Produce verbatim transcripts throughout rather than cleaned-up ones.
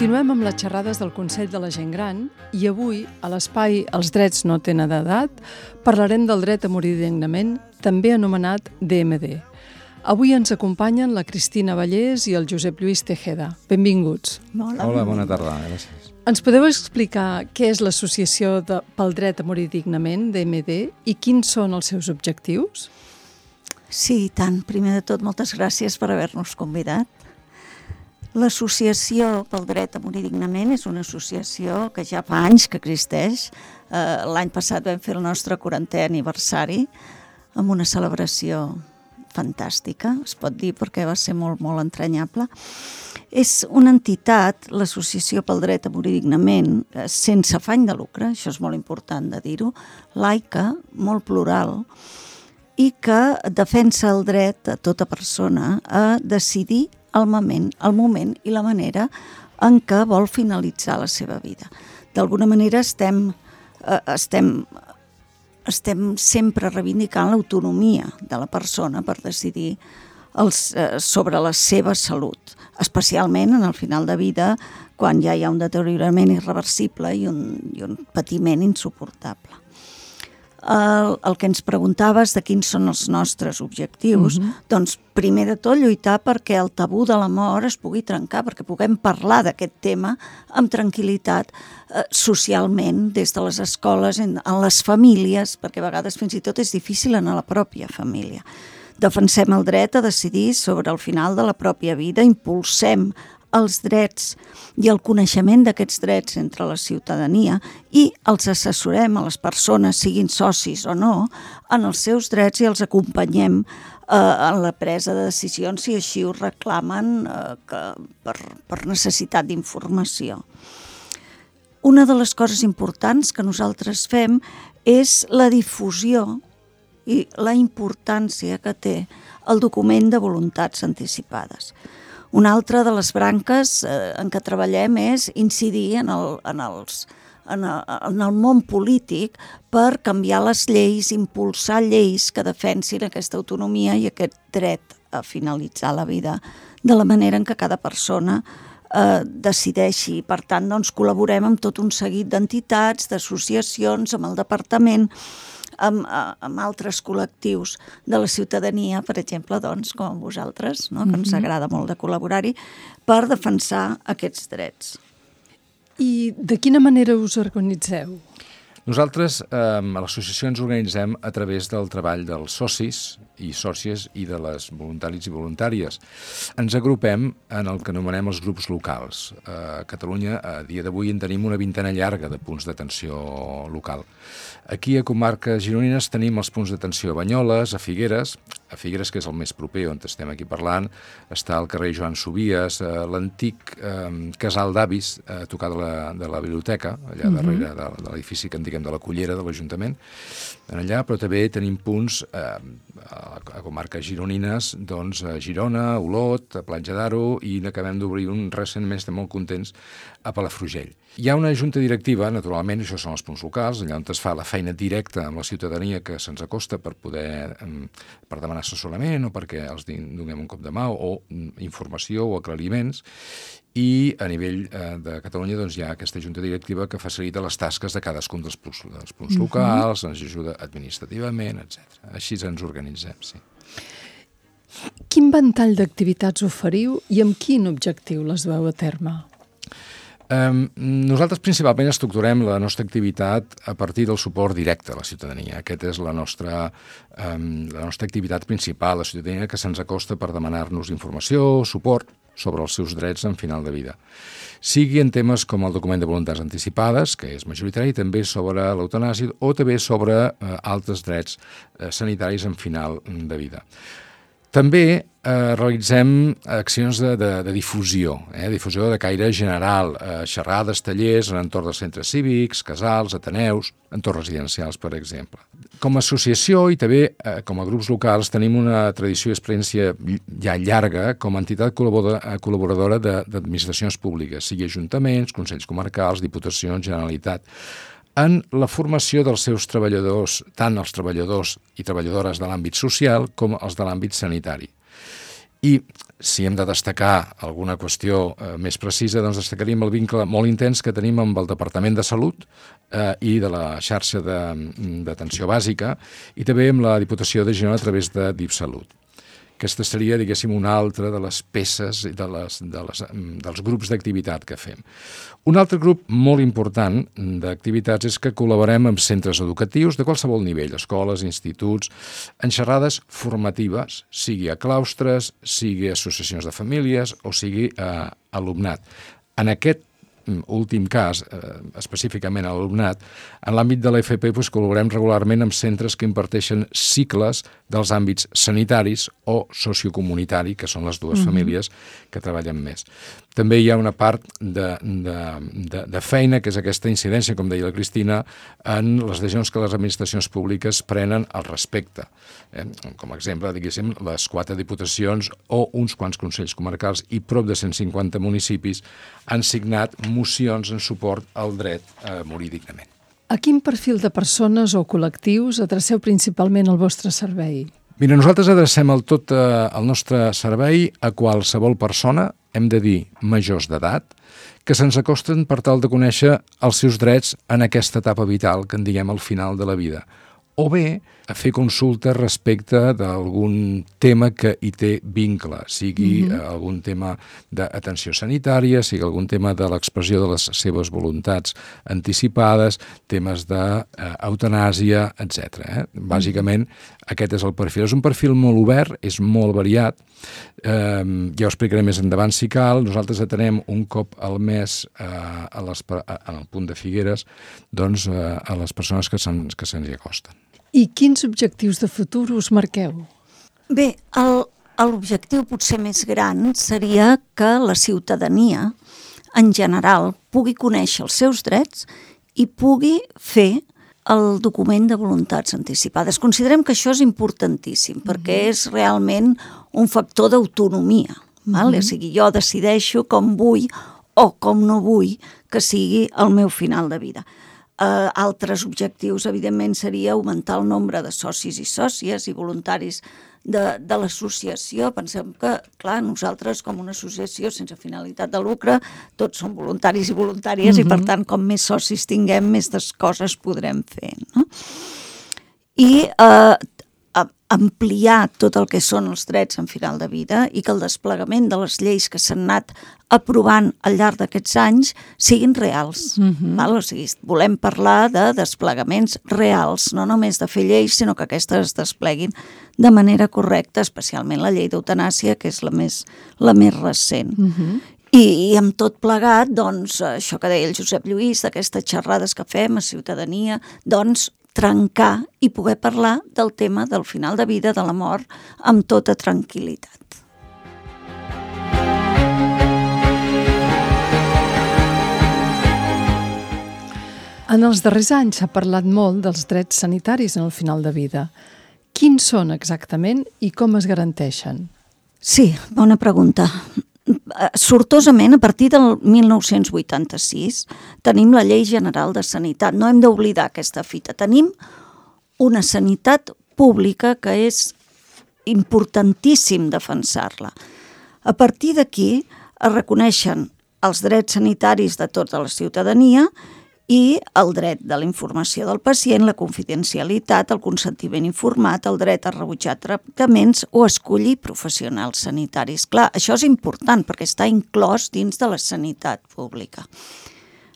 Continuem amb les xerrades del Consell de la Gent Gran i avui, a l'espai Els drets no tenen edat, parlarem del dret a morir dignament, també anomenat D M D. Avui ens acompanyen la Cristina Vallès i el Josep Lluís Tejeda. Benvinguts. Hola, Hola bona tarda. Gràcies. Ens podeu explicar què és l'Associació de, pel dret a morir dignament, D M D, i quins són els seus objectius? Sí, i tant. Primer de tot, moltes gràcies per haver-nos convidat. L'Associació pel dret a morir dignament és una associació que ja fa anys que existeix. Eh, l'any passat vam fer el nostre quarantè aniversari amb una celebració fantàstica, es pot dir, perquè va ser molt, molt entranyable. És una entitat, l'Associació pel dret a morir dignament, sense afany de lucre, això és molt important de dir-ho, laica, molt plural, i que defensa el dret a tota persona a decidir el moment, el moment i la manera en què vol finalitzar la seva vida. D'alguna manera estem, eh, estem, estem sempre reivindicant l'autonomia de la persona per decidir els, eh, sobre la seva salut, especialment en el final de vida, quan ja hi ha un deteriorament irreversible i un, i un patiment insuportable. El, el que ens preguntaves de quins són els nostres objectius, uh-huh. doncs primer de tot lluitar perquè el tabú de la mort es pugui trencar, perquè puguem parlar d'aquest tema amb tranquil·litat eh, socialment, des de les escoles, en, en les famílies, perquè a vegades fins i tot és difícil en la pròpia família. Defensem el dret a decidir sobre el final de la pròpia vida, impulsem els drets i el coneixement d'aquests drets entre la ciutadania i els assessorem a les persones, siguin socis o no, en els seus drets i els acompanyem eh, en la presa de decisions si així ho reclamen eh, que, per, per necessitat d'informació. Una de les coses importants que nosaltres fem és la difusió i la importància que té el document de voluntats anticipades. Una altra de les branques eh, en què treballem és incidir en el, en, els, en, el, en el món polític per canviar les lleis, impulsar lleis que defensin aquesta autonomia i aquest dret a finalitzar la vida de la manera en què cada persona eh, decideixi. Per tant, doncs, col·laborem amb tot un seguit d'entitats, d'associacions, amb el departament, Amb, amb altres col·lectius de la ciutadania, per exemple, doncs, com vosaltres, no? Que ens agrada molt de col·laborar-hi, per defensar aquests drets. I de quina manera us organitzeu? Nosaltres eh, a l'associació ens organitzem a través del treball dels socis i sòcies i de les voluntaris i voluntàries. Ens agrupem en el que anomenem els grups locals. A Catalunya, a dia d'avui, en tenim una vintena llarga de punts d'atenció local. Aquí a comarques gironines tenim els punts d'atenció a Banyoles, a Figueres, a Figueres, que és el més proper on estem aquí parlant, està al carrer Joan Sobies, l'antic eh, casal d'avis, a tocar de la, de la biblioteca, allà uh-huh. darrere de, de l'edifici que en diguem de la Cullera, de l'Ajuntament, allà, però també tenim punts eh, a, a comarques gironines, doncs a Girona, a Olot, a Platja d'Aro, i n'acabem d'obrir un recentment, estem molt contents, a Palafrugell. Hi ha una junta directiva, naturalment, això són els punts locals, allà on es fa la feina directa amb la ciutadania que se'ns acosta per poder, per demanar assessorament o perquè els donem un cop de mà o informació o aclariments, i a nivell eh, de Catalunya doncs, hi ha aquesta junta directiva que facilita les tasques de cadascun dels punts, dels punts uh-huh. locals, ens ajuda administrativament, etcètera. Així ens organitzem, sí. Quin ventall d'activitats oferiu i amb quin objectiu les dueu a terme? Um, nosaltres principalment estructurem la nostra activitat a partir del suport directe a la ciutadania. Aquesta és la nostra, um, la nostra activitat principal, la ciutadania que se'ns acosta per demanar-nos informació, suport sobre els seus drets en final de vida. Sigui en temes com el document de voluntats anticipades, que és majoritari, també sobre l'eutanàsia o també sobre uh, altres drets uh, sanitaris en final de vida. També eh, realitzem accions de, de, de difusió, eh, difusió de caire general, eh, xerrades, tallers en entorn dels centres cívics, casals, ateneus, entorns residencials, per exemple. Com a associació i també eh, com a grups locals tenim una tradició i experiència ja llarga com a entitat col·laboradora d'administracions públiques, sigui ajuntaments, consells comarcals, diputacions, Generalitat, en la formació dels seus treballadors, tant els treballadors i treballadores de l'àmbit social com els de l'àmbit sanitari. I si hem de destacar alguna qüestió eh, més precisa, doncs destacaríem el vincle molt intens que tenim amb el Departament de Salut eh, i de la xarxa d'atenció bàsica i també amb la Diputació de Girona a través de DipSalut. Aquesta seria, diguéssim, una altra de les peces de les, de les, dels grups d'activitat que fem. Un altre grup molt important d'activitats és que col·laborem amb centres educatius de qualsevol nivell, escoles, instituts, en xerrades formatives, sigui a claustres, sigui a associacions de famílies o sigui a alumnat. En aquest últim cas, eh, específicament a l'alumnat, en l'àmbit de l'A F P doncs, col·laborem regularment amb centres que imparteixen cicles dels àmbits sanitaris o sociocomunitari, que són les dues mm-hmm. famílies que treballen més. També hi ha una part de, de, de, de feina, que és aquesta incidència, com deia la Cristina, en les decisions que les administracions públiques prenen al respecte. Eh? Com a exemple, diguéssim, les quatre diputacions o uns quants consells comarcals i prop de cent cinquanta municipis han signat mocions en suport al dret a morir dignament. A quin perfil de persones o col·lectius adreceu principalment el vostre servei? Mira, nosaltres adrecem el tot eh, el nostre servei a qualsevol persona, hem de dir majors d'edat, que se'ns acosten per tal de conèixer els seus drets en aquesta etapa vital, que en diguem al final de la vida, o bé a fer consultes respecte d'algun tema que hi té vincle, sigui mm-hmm. algun tema d'atenció sanitària, sigui algun tema de l'expressió de les seves voluntats anticipades, temes d'eutanàsia, etcètera. Eh? Bàsicament, mm-hmm. aquest és el perfil. És un perfil molt obert, és molt variat, eh, ja ho explicaré més endavant si cal. Nosaltres atenem un cop al mes eh, a les, a, en el punt de Figueres doncs, eh, a les persones que se'ns que se'ns hi acosten. I quins objectius de futur us marqueu? Bé, l'objectiu potser més gran seria que la ciutadania, en general, pugui conèixer els seus drets i pugui fer el document de voluntats anticipades. Considerem que això és importantíssim, mm-hmm. perquè és realment un factor d'autonomia. Mm-hmm. O sigui, jo decideixo com vull o com no vull que sigui el meu final de vida. Uh, altres objectius, evidentment, seria augmentar el nombre de socis i sòcies i voluntaris de, de l'associació. Pensem que, clar, nosaltres com una associació sense finalitat de lucre, tots som voluntaris i voluntàries mm-hmm. i, per tant, com més socis tinguem, més coses podrem fer. No? I uh, ampliar tot el que són els drets en final de vida i que el desplegament de les lleis que s'han anat aprovant al llarg d'aquests anys siguin reals. Mm-hmm. Val? O sigui, volem parlar de desplegaments reals, no només de fer lleis, sinó que aquestes es despleguin de manera correcta, especialment la llei d'eutanàsia, que és la més, la més recent. Mm-hmm. I, I amb tot plegat, doncs, això que deia el Josep Lluís, d'aquestes xerrades que fem a ciutadania, doncs, trencar i poder parlar del tema del final de vida, de la mort, amb tota tranquil·litat. En els darrers anys s'ha parlat molt dels drets sanitaris en el final de vida. Quins són exactament i com es garanteixen? Sí, bona pregunta. Sortosament, a partir del mil nou-cents vuitanta-sis, tenim la Llei General de Sanitat. No hem d'oblidar aquesta fita. Tenim una sanitat pública que és importantíssim defensar-la. A partir d'aquí es reconeixen els drets sanitaris de tota la ciutadania i el dret de la informació del pacient, la confidencialitat, el consentiment informat, el dret a rebutjar tractaments o escollir professionals sanitaris. Clar, això és important perquè està inclòs dins de la sanitat pública.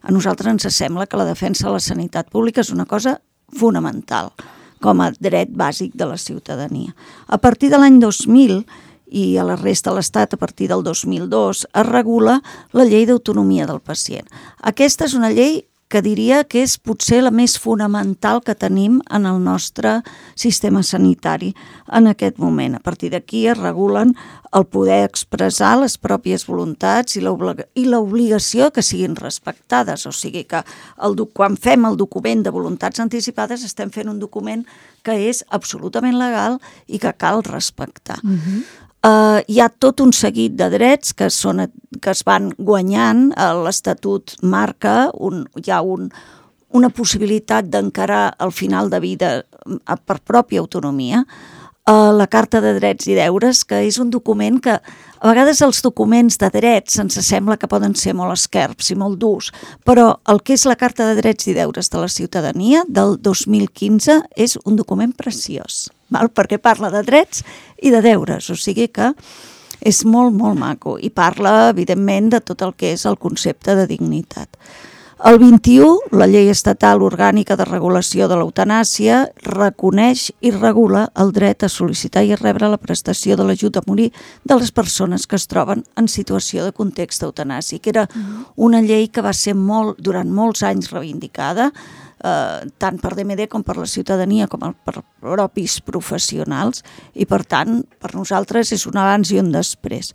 A nosaltres ens sembla que la defensa de la sanitat pública és una cosa fonamental com a dret bàsic de la ciutadania. A partir de l'any dos mil i a la resta de l'Estat, a partir del dos mil dos, es regula la llei d'autonomia del pacient. Aquesta és una llei que diria que és potser la més fonamental que tenim en el nostre sistema sanitari en aquest moment. A partir d'aquí es regulen el poder expressar les pròpies voluntats i l'obligació que siguin respectades. O sigui que el, quan fem el document de voluntats anticipades estem fent un document que és absolutament legal i que cal respectar. Mm-hmm. Uh, hi ha tot un seguit de drets que, són, que es van guanyant. L'Estatut marca, un, hi ha un, una possibilitat d'encarar el final de vida per pròpia autonomia. Uh, la Carta de Drets i Deures, que és un document que a vegades els documents de drets ens sembla que poden ser molt esquerps i molt durs, però el que és la Carta de Drets i Deures de la Ciutadania del dos mil quinze és un document preciós, val? Perquè parla de drets i de deures, o sigui que és molt, molt maco i parla, evidentment, de tot el que és el concepte de dignitat. El vint-i-u, la Llei Estatal Orgànica de Regulació de l'Eutanàsia reconeix i regula el dret a sol·licitar i a rebre la prestació de l'ajut a morir de les persones que es troben en situació de context eutanàsic. Era una llei que va ser molt, durant molts anys reivindicada, eh, tant per D M D com per la ciutadania com per propis professionals, i per tant, per nosaltres és un abans i un després.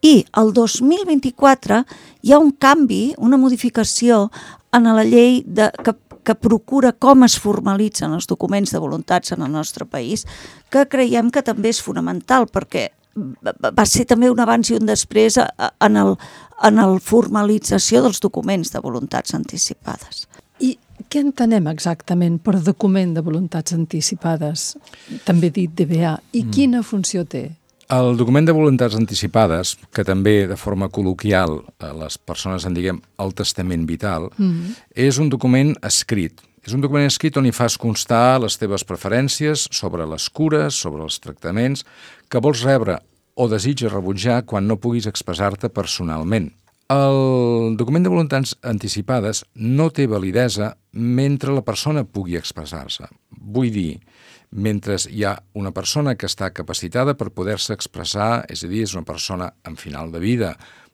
I el dos mil vint-i-quatre hi ha un canvi, una modificació en la llei de, que, que procura com es formalitzen els documents de voluntats en el nostre país, que creiem que també és fonamental, perquè va ser també un abans i un després en el, en el formalització dels documents de voluntats anticipades. I què entenem exactament per document de voluntats anticipades, també dit D V A, i quina funció té? El document de voluntats anticipades, que també de forma col·loquial les persones en diguem el testament vital, mm-hmm. és un document escrit. És un document escrit on hi fas constar les teves preferències sobre les cures, sobre els tractaments, que vols rebre o desitges rebutjar quan no puguis expressar-te personalment. El document de voluntats anticipades no té validesa mentre la persona pugui expressar-se. Vull dir, mentre hi ha una persona que està capacitada per poder-se expressar, és a dir, és una persona en final de vida,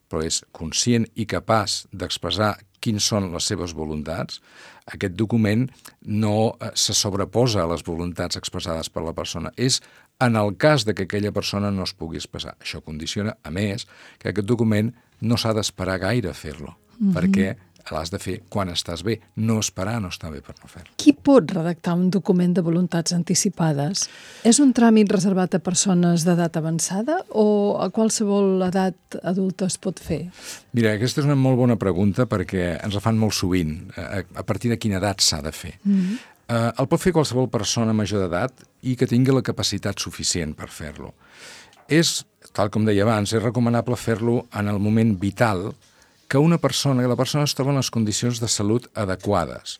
però és conscient i capaç d'expressar quins són les seves voluntats, aquest document no se sobreposa a les voluntats expressades per la persona. És en el cas de que aquella persona no es pugui expressar. Això condiciona, a més, que aquest document no s'ha d'esperar gaire a fer-lo, mm-hmm. perquè l'has de fer quan estàs bé, no esperar no està bé per no fer-lo. Qui pot redactar un document de voluntats anticipades? És un tràmit reservat a persones d'edat avançada o a qualsevol edat adulta es pot fer? Mira, aquesta és una molt bona pregunta perquè ens la fan molt sovint. A, a partir de quina edat s'ha de fer? Mm-hmm. uh, el pot fer qualsevol persona major d'edat i que tingui la capacitat suficient per fer-lo. És, tal com deia abans, és recomanable fer-lo en el moment vital que una persona, que la persona es troba en les condicions de salut adequades,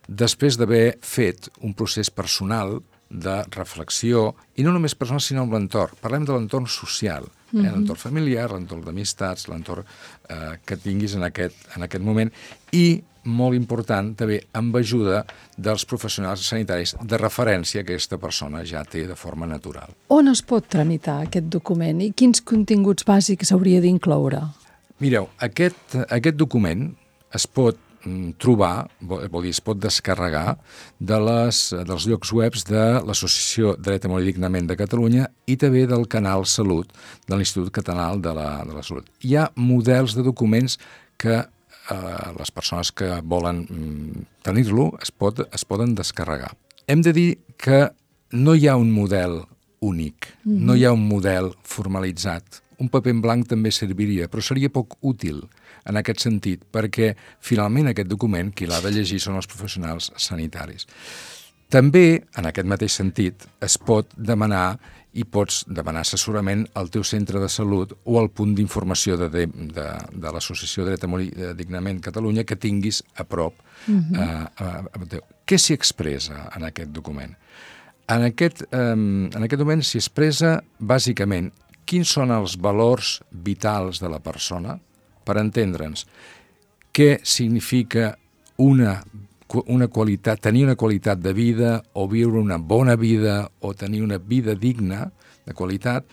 després d'haver fet un procés personal de reflexió, i no només personal, sinó amb l'entorn. Parlem de l'entorn social, eh? Mm-hmm. L'entorn familiar, l'entorn d'amistats, l'entorn eh, que tinguis en aquest, en aquest moment, i, molt important, també amb ajuda dels professionals sanitaris de referència que aquesta persona ja té de forma natural. On es pot tramitar aquest document i quins continguts bàsics hauria d'incloure? Mireu, aquest, aquest document es pot mm, trobar, vol dir, es pot descarregar de les, dels llocs webs de l'Associació Dret a Morir Dignament de Catalunya i també del Canal Salut de l'Institut Català de la, de la Salut. Hi ha models de documents que eh, les persones que volen mm, tenir-lo es, pot, es poden descarregar. Hem de dir que no hi ha un model únic, mm-hmm. no hi ha un model formalitzat. Un paper en blanc també serviria, però seria poc útil en aquest sentit, perquè finalment aquest document qui l'ha de llegir són els professionals sanitaris. També, en aquest mateix sentit, es pot demanar i pots demanar assessorament al teu centre de salut o al punt d'informació de, de, de, de l'Associació Dret a Morir Dignament Catalunya que tinguis a prop. Uh-huh. eh, eh, què s'hi expressa en aquest document? En aquest, eh, en aquest document s'hi expressa bàsicament quins són els valors vitals de la persona, per entendre'ns què significa una, una qualitat, tenir una qualitat de vida o viure una bona vida o tenir una vida digna de qualitat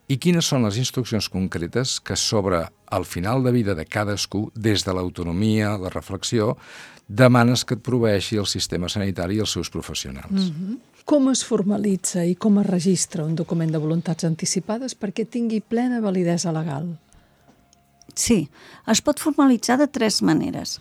i quines són les instruccions concretes que sobre el final de vida de cadascú, des de l'autonomia, la reflexió, demanes que et proveeixi el sistema sanitari i els seus professionals. Mm-hmm. Com es formalitza i com es registra un document de voluntats anticipades perquè tingui plena validesa legal? Sí, es pot formalitzar de tres maneres.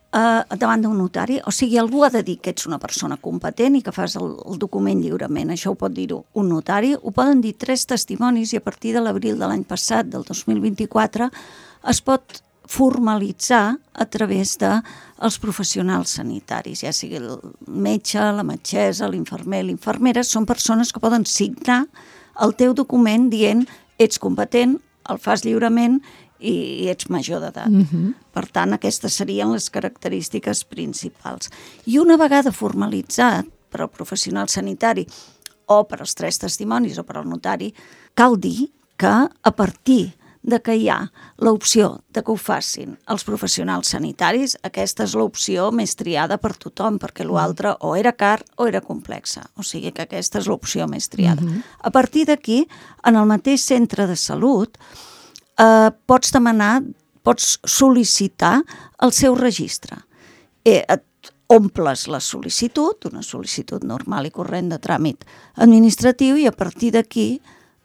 Uh, davant d'un notari, o sigui, algú ha de dir que ets una persona competent i que fas el, el document lliurement. Això ho pot dir un notari, ho poden dir tres testimonis i a partir de l'abril de l'any passat, del dos mil vint-i-quatre, es pot formalitzar a través dels professionals sanitaris, ja sigui el metge, la metgessa, l'infermer, l'infermera, són persones que poden signar el teu document dient ets competent, el fas lliurement i ets major d'edat. Mm-hmm. Per tant, aquestes serien les característiques principals. I una vegada formalitzat per al professional sanitari o per als tres testimonis o per al notari, cal dir que a partir de que hi ha l'opció de que ho facin els professionals sanitaris, aquesta és l'opció més triada per tothom, perquè l'altre o era car o era complexa. O sigui que aquesta és l'opció més triada. Mm-hmm. A partir d'aquí, en el mateix centre de salut, eh, pots demanar, pots sol·licitar el seu registre. Eh, et omples la sol·licitud, una sol·licitud normal i corrent de tràmit administratiu, i a partir d'aquí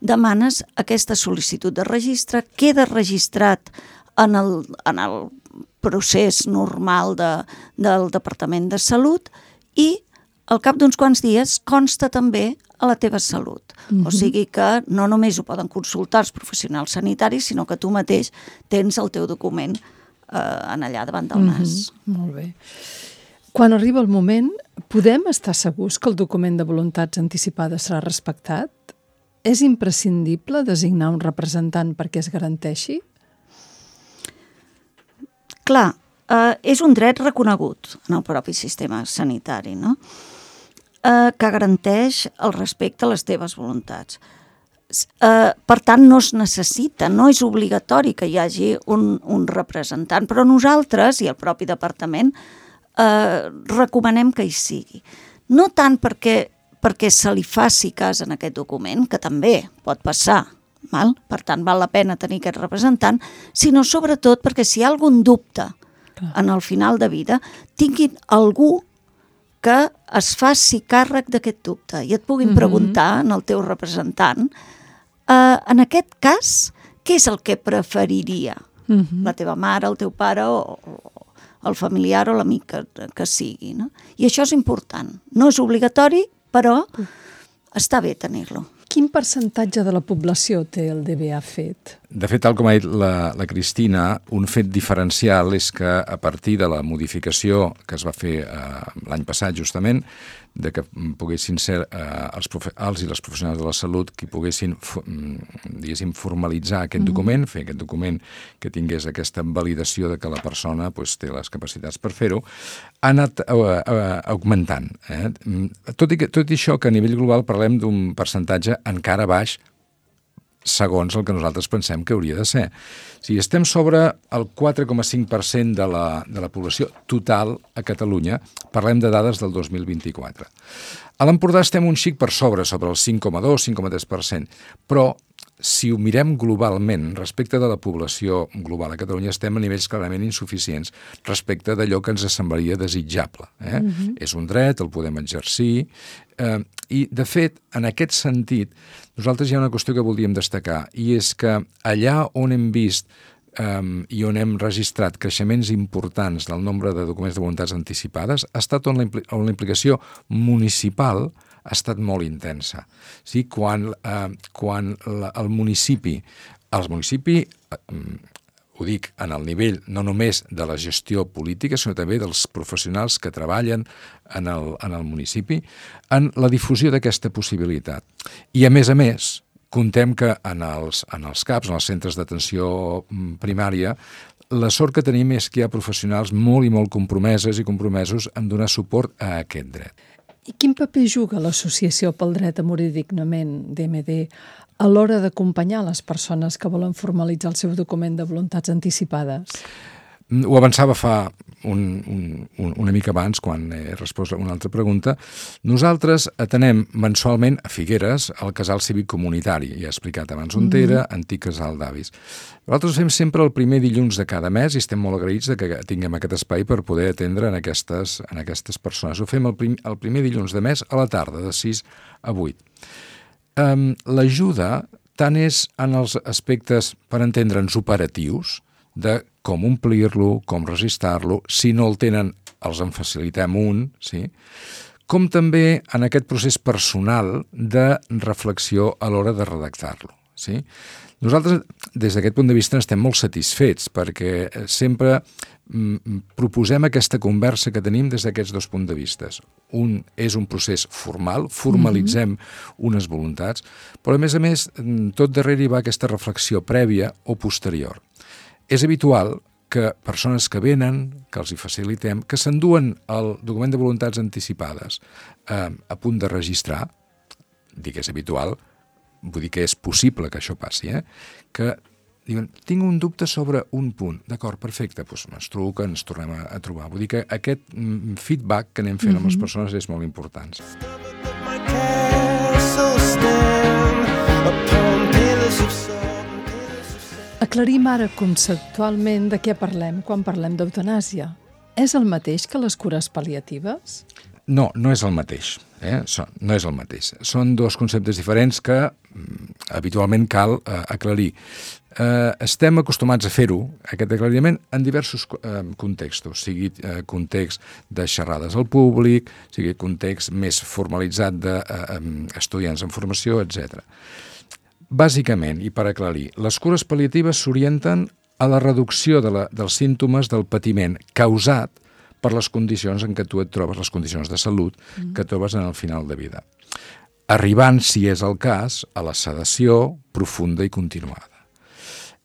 demanes aquesta sol·licitud de registre, queda registrat en el, en el procés normal de, del Departament de Salut i al cap d'uns quants dies consta també a la teva salut. Mm-hmm. O sigui que no només ho poden consultar els professionals sanitaris, sinó que tu mateix tens el teu document eh, en allà davant del nas. Mm-hmm. Molt bé. Quan arriba el moment, podem estar segurs que el document de voluntats anticipades serà respectat? És imprescindible designar un representant perquè es garanteixi? Clar, eh, és un dret reconegut en el propi sistema sanitari, no? Eh, que garanteix el respecte a les teves voluntats. Eh, per tant, no es necessita, no és obligatori que hi hagi un, un representant, però nosaltres i el propi departament eh, recomanem que hi sigui. No tant perquè perquè se li faci cas en aquest document, que també pot passar, val? Per tant, val la pena tenir aquest representant, sinó sobretot perquè si hi ha algun dubte en el final de vida, tinguin algú que es faci càrrec d'aquest dubte i et puguin mm-hmm. preguntar en el teu representant, eh, en aquest cas, què és el que preferiria? Mm-hmm. La teva mare, el teu pare o, o el familiar o l'amic que, que sigui, no? I això és important. No és obligatori, però està bé tenir-lo. Quin percentatge de la població té el D B A fet? De fet, tal com ha dit la, la Cristina, un fet diferencial és que a partir de la modificació que es va fer eh, l'any passat justament, de que poguessin ser eh, els, profe els i les professionals de la salut qui poguessin, diguéssim, formalitzar aquest mm-hmm. document, fer aquest document que tingués aquesta validació de que la persona pues, té les capacitats per fer-ho, ha anat uh, uh, augmentant. Eh? Tot, i que, tot i això que a nivell global parlem d'un percentatge encara baix segons el que nosaltres pensem que hauria de ser. Si estem sobre el quatre coma cinc per cent de la, de la població total a Catalunya, parlem de dades del dos mil vint-i-quatre. A l'Empordà estem un xic per sobre, sobre el cinc coma dos, cinc coma tres per cent, però si ho mirem globalment, respecte de la població global a Catalunya, estem a nivells clarament insuficients respecte d'allò que ens semblaria desitjable. Eh? Mm-hmm. És un dret, el podem exercir, eh, i, de fet, en aquest sentit, nosaltres hi ha una qüestió que voldríem destacar, i és que allà on hem vist um, i on hem registrat creixements importants del nombre de documents de voluntats anticipades, ha estat on la, impli on la implicació municipal ha estat molt intensa. Sí, quan eh, quan la, el municipi, el municipi, eh, ho dic en el nivell no només de la gestió política, sinó també dels professionals que treballen en el, en el municipi, en la difusió d'aquesta possibilitat. I a més a més, contem que en els, en els CAPs, en els centres d'atenció primària, la sort que tenim és que hi ha professionals molt i molt compromeses i compromesos en donar suport a aquest dret. I quin paper juga l'Associació pel Dret a Morir Dignament, D M D, a l'hora d'acompanyar les persones que volen formalitzar el seu document de voluntats anticipades? Ho avançava fa un, un, una mica abans, quan he respost a una altra pregunta. Nosaltres atenem mensualment a Figueres el casal cívic comunitari. Ja he explicat abans on era, mm-hmm. antic casal d'avis. Nosaltres fem sempre el primer dilluns de cada mes i estem molt agraïts de que tinguem aquest espai per poder atendre en aquestes, en aquestes persones. Ho fem el, prim, el primer dilluns de mes a la tarda, de sis a vuit. Um, L'ajuda tant és en els aspectes, per entendre'ns, operatius, de com omplir-lo, com registrar-lo, si no el tenen els en facilitem un, sí? Com també en aquest procés personal de reflexió a l'hora de redactar-lo. Sí? Nosaltres, des d'aquest punt de vista, estem molt satisfets perquè sempre mm, proposem aquesta conversa que tenim des d'aquests dos punts de vista. Un és un procés formal, formalitzem mm-hmm. unes voluntats, però a més a més, tot darrere hi va aquesta reflexió prèvia o posterior. És habitual que persones que venen, que els hi facilitem, que s'enduen el document de voluntats anticipades eh, a punt de registrar, dic que és habitual, vull dir que és possible que això passi, eh? que diuen, tinc un dubte sobre un punt. D'acord, perfecte, doncs ens truca, ens tornem a, a trobar. Vull dir que aquest mm, feedback que anem fent mm-hmm. amb les persones és molt important. Aclarim ara conceptualment de què parlem quan parlem d'eutanàsia. És el mateix que les cures pal·liatives? No, no és el mateix. Eh? No és el mateix. Són dos conceptes diferents que mm, habitualment cal eh, aclarir. Eh, estem acostumats a fer-ho, aquest aclariment, en diversos eh, contextos, sigui eh, context de xerrades al públic, sigui context més formalitzat d'estudiants eh, en formació, etcètera. Bàsicament, i per aclarir, les cures pal·liatives s'orienten a la reducció de la, dels símptomes del patiment causat per les condicions en què tu et trobes, les condicions de salut mm. que trobes en el final de vida. Arribant, si és el cas, a la sedació profunda i continuada.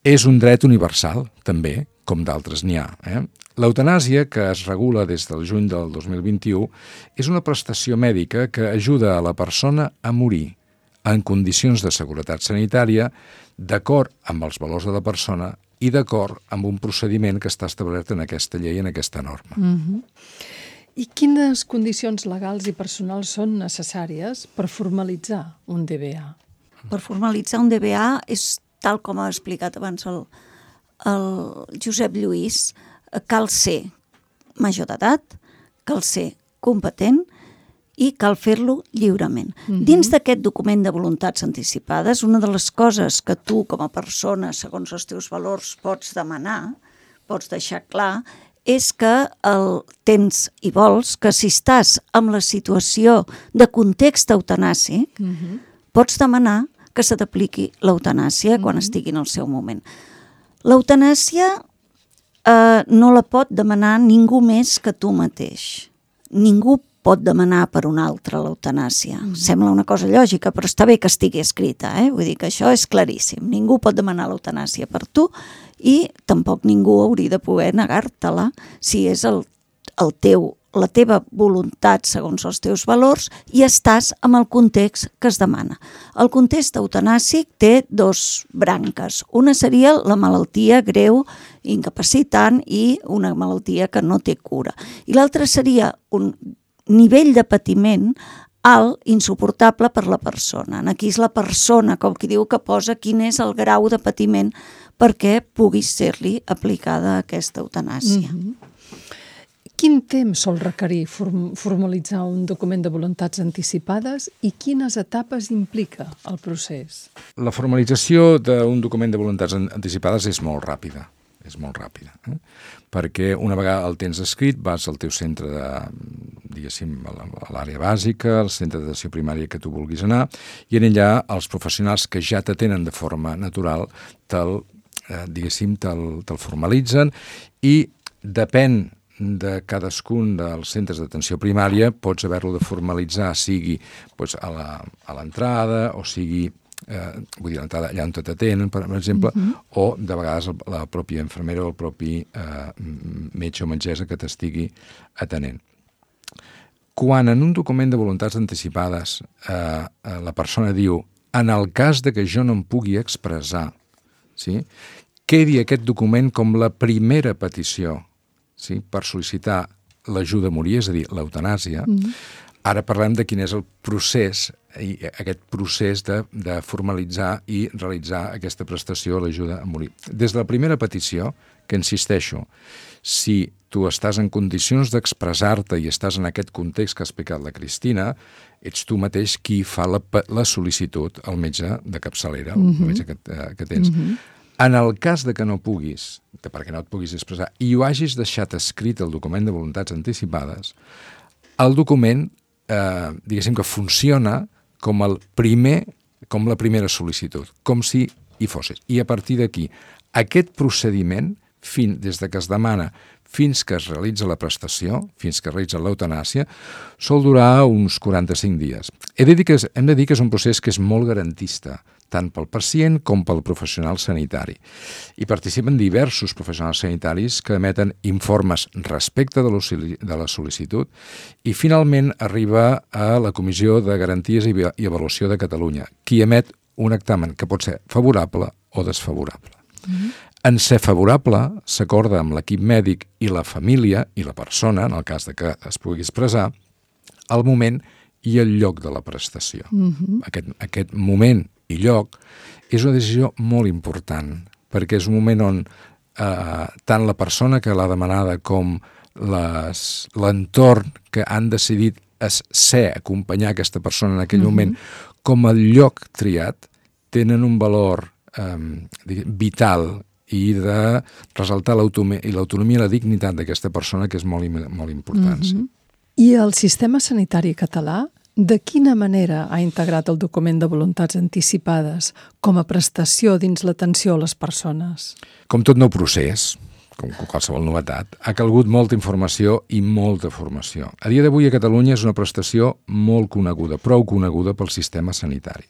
És un dret universal, també, com d'altres n'hi ha. Eh? L'eutanàsia, que es regula des del juny del dos mil vint-i-u, és una prestació mèdica que ajuda a la persona a morir en condicions de seguretat sanitària, d'acord amb els valors de la persona i d'acord amb un procediment que està establert en aquesta llei, en aquesta norma. Mm-hmm. I quines condicions legals i personals són necessàries per formalitzar un D B A? Per formalitzar un D B A és, tal com ha explicat abans el, el Josep Lluís, cal ser major d'edat, cal ser competent i cal fer-lo lliurement. Mm-hmm. Dins d'aquest document de voluntats anticipades, una de les coses que tu, com a persona, segons els teus valors, pots demanar, pots deixar clar, és que el tens i vols que si estàs en la situació de context eutanàsic, mm-hmm. pots demanar que se t'apliqui l'eutanàsia mm-hmm. quan estigui en el seu moment. L'eutanàsia eh, no la pot demanar ningú més que tu mateix. Ningú pot demanar per un altre l'eutanàsia. Mm. Sembla una cosa lògica, però està bé que estigui escrita, eh? Vull dir que això és claríssim. Ningú pot demanar l'eutanàsia per tu i tampoc ningú hauria de poder negar-te-la si és el, el teu, la teva voluntat segons els teus valors i estàs en el context que es demana. El context eutanàsic té dos branques. Una seria la malaltia greu, incapacitant i una malaltia que no té cura. I l'altra seria un nivell de patiment alt, insuportable per la persona. Aquí és la persona, com qui diu, que posa quin és el grau de patiment perquè pugui ser-li aplicada aquesta eutanàsia. Mm-hmm. Quin temps sol requerir form- formalitzar un document de voluntats anticipades i quines etapes implica el procés? La formalització d'un document de voluntats anticipades és molt ràpida. És molt ràpida, eh? Perquè una vegada el tens escrit vas al teu centre de, diguéssim, a l'àrea bàsica, al centre d'atenció primària que tu vulguis anar, i en allà els professionals que ja t'atenen de forma natural te'l, eh, diguéssim, te'l, te'l formalitzen i depèn de cadascun dels centres d'atenció primària pots haver-lo de formalitzar, sigui doncs, a l'entrada o sigui Eh, vull dir, l'entrada allà on t'atenen, per exemple, uh-huh. o de vegades la pròpia infermera o el propi eh, metge o metgessa que t'estigui atenent. Quan en un document de voluntats anticipades eh, la persona diu en el cas de que jo no em pugui expressar, sí, quedi aquest document com la primera petició, sí, per sol·licitar l'ajuda a morir, és a dir, l'eutanàsia. Uh-huh. Ara parlem de quin és el procés, i aquest procés de, de formalitzar i realitzar aquesta prestació a l'ajuda a morir. Des de la primera petició, que insisteixo, si tu estàs en condicions d'expressar-te i estàs en aquest context que ha explicat la Cristina, ets tu mateix qui fa la, la sol·licitud al metge de capçalera, mm-hmm. el metge que, que tens. Mm-hmm. En el cas de que no puguis, de perquè no et puguis expressar, i ho hagis deixat escrit el document de voluntats anticipades, el document, eh, diguéssim que funciona com el primer com la primera sol·licitud, com si hi fossis. I a partir d'aquí, aquest procediment, fins, des de que es demana fins que es realitza la prestació, fins que es realitza l'eutanàsia, sol durar uns quaranta-cinc dies. He de dir que és, hem de dir que és un procés que és molt garantista, tant pel pacient com pel professional sanitari. Hi participen diversos professionals sanitaris que emeten informes respecte de la sol·licitud i finalment arriba a la Comissió de Garanties i Avaluació de Catalunya, qui emet un dictamen que pot ser favorable o desfavorable. Mm-hmm. En ser favorable, s'acorda amb l'equip mèdic i la família i la persona, en el cas de que es pugui expressar, el moment i el lloc de la prestació. Mm-hmm. Aquest, aquest moment i lloc és una decisió molt important, perquè és un moment on eh, tant la persona que l'ha demanada com les, l'entorn que han decidit ser, acompanyar aquesta persona en aquell mm-hmm. moment, com el lloc triat, tenen un valor eh, vital i de ressaltar l'autonomia i l'autonomia i la dignitat d'aquesta persona, que és molt, molt important. Mm-hmm. Sí. I el sistema sanitari català, de quina manera ha integrat el document de voluntats anticipades com a prestació dins l'atenció a les persones? Com tot nou procés, com qualsevol novetat, ha calgut molta informació i molta formació. A dia d'avui a Catalunya és una prestació molt coneguda, prou coneguda pel sistema sanitari.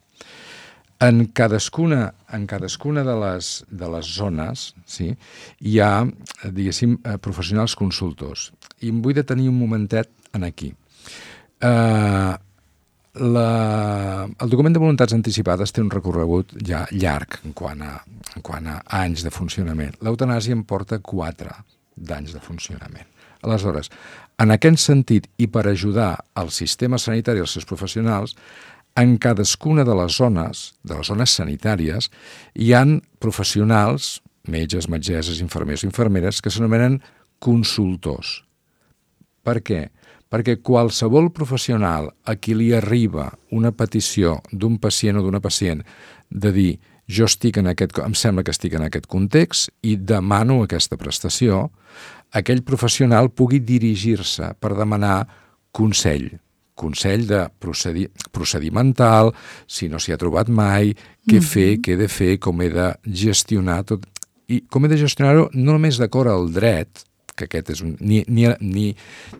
En cadascuna, en cadascuna de les, de les zones, sí, hi ha, diguéssim, professionals consultors. I em vull detenir un momentet en aquí. Eh... La, el document de voluntats anticipades té un recorregut ja llarg en quant a, en quant a anys de funcionament. L'eutanàsia en porta quatre d'anys de funcionament. Aleshores, en aquest sentit i per ajudar al sistema sanitari i els seus professionals, en cadascuna de les zones, de les zones sanitàries, hi han professionals, metges, metgesses, infermers i infermeres, que s'anomenen consultors. Per què? Perquè qualsevol professional a qui li arriba una petició d'un pacient o d'una pacient de dir jo estic en aquest, em sembla que estic en aquest context i demano aquesta prestació, aquell professional pugui dirigir-se per demanar consell, consell de procedi, procedimental, si no s'hi ha trobat mai, què mm-hmm. fer, què he de fer, com he de gestionar tot, i com he de gestionar-ho no només d'acord al dret, que aquest és un, ni, ni, ni,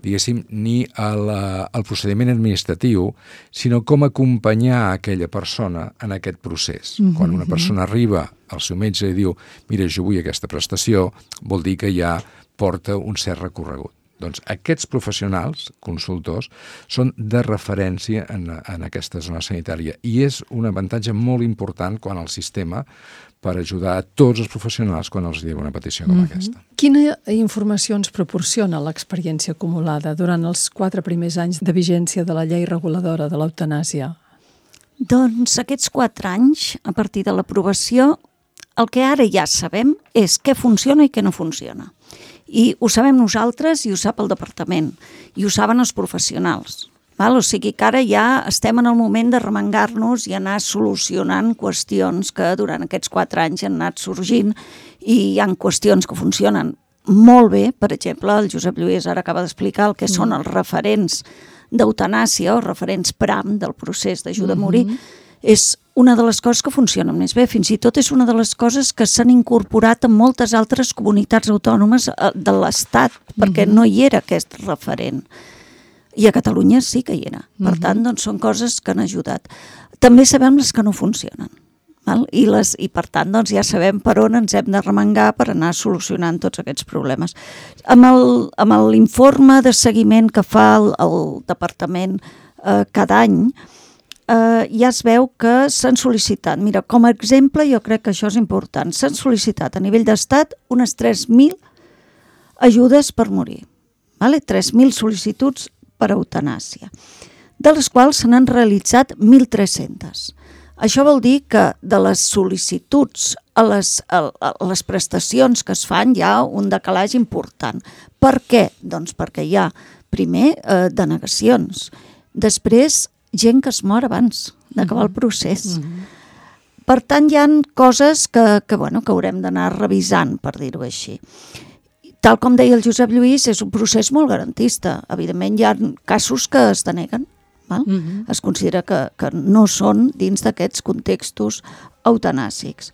diguéssim, ni el, el procediment administratiu, sinó com acompanyar aquella persona en aquest procés. Mm-hmm. Quan una persona arriba al seu metge i diu mira, jo vull aquesta prestació, vol dir que ja porta un cert recorregut. Doncs aquests professionals, consultors, són de referència en, en aquesta zona sanitària i és un avantatge molt important quan el sistema per ajudar a tots els professionals quan els diu una petició com mm-hmm. aquesta. Quina informació ens proporciona l'experiència acumulada durant els quatre primers anys de vigència de la llei reguladora de l'eutanàsia? Doncs aquests quatre anys, a partir de l'aprovació, el que ara ja sabem és què funciona i què no funciona. I ho sabem nosaltres i ho sap el departament, i ho saben els professionals. Val? O sigui que ara ja estem en el moment de remengar-nos i anar solucionant qüestions que durant aquests quatre anys han anat sorgint i hi ha qüestions que funcionen molt bé. Per exemple, el Josep Lluís ara acaba d'explicar el que mm. són els referents d'eutanàsia o referents PRAM del procés d'ajuda a morir. Mm-hmm. És una de les coses que funcionen més bé. Fins i tot és una de les coses que s'han incorporat en moltes altres comunitats autònomes de l'Estat, perquè mm-hmm. no hi era aquest referent. I a Catalunya sí que hi era. Per mm-hmm. tant, doncs, són coses que han ajudat. També sabem les que no funcionen. Val? I, les, I per tant, doncs, ja sabem per on ens hem de remengar per anar solucionant tots aquests problemes. Amb, el, amb l'informe de seguiment que fa el, el departament eh, cada any, eh, ja es veu que s'han sol·licitat, mira, com a exemple, jo crec que això és important, s'han sol·licitat a nivell d'estat unes tres mil ajudes per morir. Vale? tres mil sol·licituds per eutanàsia, de les quals se n'han realitzat mil tres-centes. Això vol dir que de les sol·licituds a les, a, a les prestacions que es fan hi ha un decalatge important. Per què? Doncs perquè hi ha, primer, eh, denegacions, després, gent que es mor abans d'acabar el procés. Mm-hmm. Per tant, hi ha coses que, que, bueno, que haurem d'anar revisant, per dir-ho així. Tal com deia el Josep Lluís, és un procés molt garantista. Evidentment, hi ha casos que es deneguen, Val? Mm-hmm. Es considera que, que no són dins d'aquests contextos eutanàsics.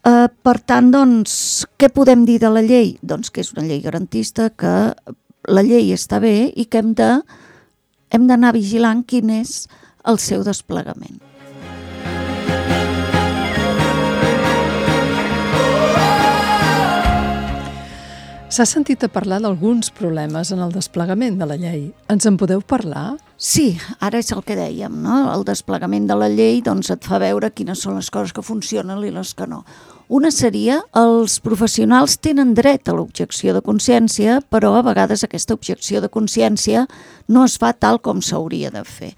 Uh, per tant, doncs, què podem dir de la llei? Doncs que és una llei garantista, que la llei està bé i que hem de, hem d'anar vigilant quin és el seu desplegament. S'ha sentit a parlar d'alguns problemes en el desplegament de la llei. Ens en podeu parlar? Sí, ara és el que dèiem, no? El desplegament de la llei doncs, et fa veure quines són les coses que funcionen i les que no. Una seria, els professionals tenen dret a l'objecció de consciència, però a vegades aquesta objecció de consciència no es fa tal com s'hauria de fer.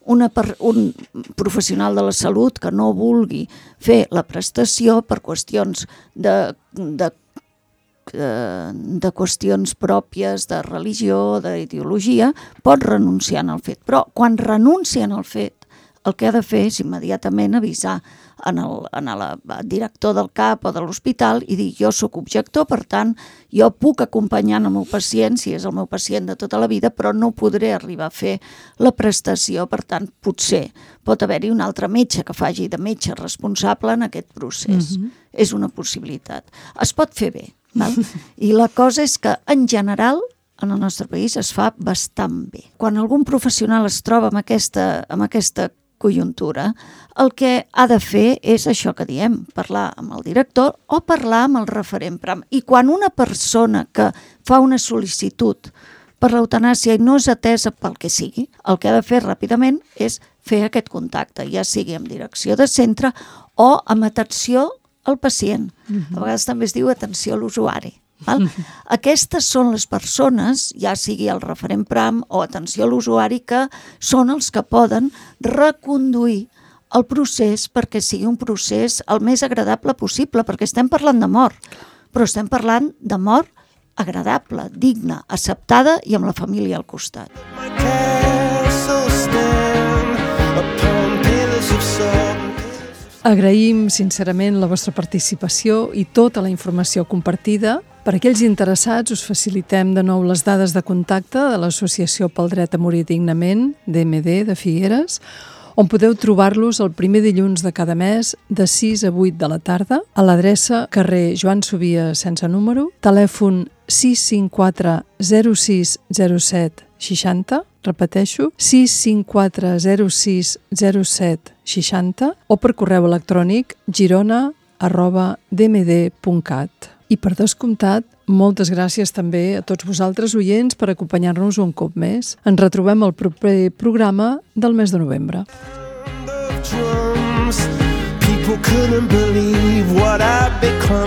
Una per, un professional de la salut que no vulgui fer la prestació per qüestions de, de de qüestions pròpies de religió, d'ideologia, pot renunciar al fet. Però quan renuncien al fet, el que ha de fer és immediatament avisar en el, en el director del C A P o de l'hospital i dir jo sóc objector, per tant, jo puc acompanyar el meu pacient, si és el meu pacient de tota la vida, però no podré arribar a fer la prestació, per tant, potser pot haver-hi un altre metge que faci de metge responsable en aquest procés. Mm-hmm. És una possibilitat. Es pot fer bé. Val? I la cosa és que, en general, en el nostre país es fa bastant bé. Quan algun professional es troba amb aquesta, amb aquesta conjuntura, el que ha de fer és això que diem, parlar amb el director o parlar amb el referent PRAM. I quan una persona que fa una sol·licitud per l'eutanàsia i no és atesa pel que sigui, el que ha de fer ràpidament és fer aquest contacte, ja sigui amb direcció de centre o amb atenció al pacient. A vegades també es diu atenció a l'usuari. Val? Aquestes són les persones, ja sigui el referent PRAM o atenció a l'usuari, que són els que poden reconduir el procés perquè sigui un procés el més agradable possible, perquè estem parlant de mort, però estem parlant de mort agradable, digna, acceptada i amb la família al costat. Agraïm sincerament la vostra participació i tota la informació compartida. Per aquells interessats us facilitem de nou les dades de contacte de l'Associació pel Dret a Morir Dignament, D M D, de Figueres, on podeu trobar-los el primer dilluns de cada mes de sis a vuit de la tarda a l'adreça carrer Joan Subia sense número, telèfon sis cinc quatre zero sis zero set seixanta, repeteixo, sis cinc quatre zero sis zero set seixanta o per correu electrònic girona arroba d m d punt cat. I per descomptat, moltes gràcies també a tots vosaltres oients per acompanyar-nos un cop més. Ens retrobem al proper programa del mes de novembre. People couldn't believe what I'd become.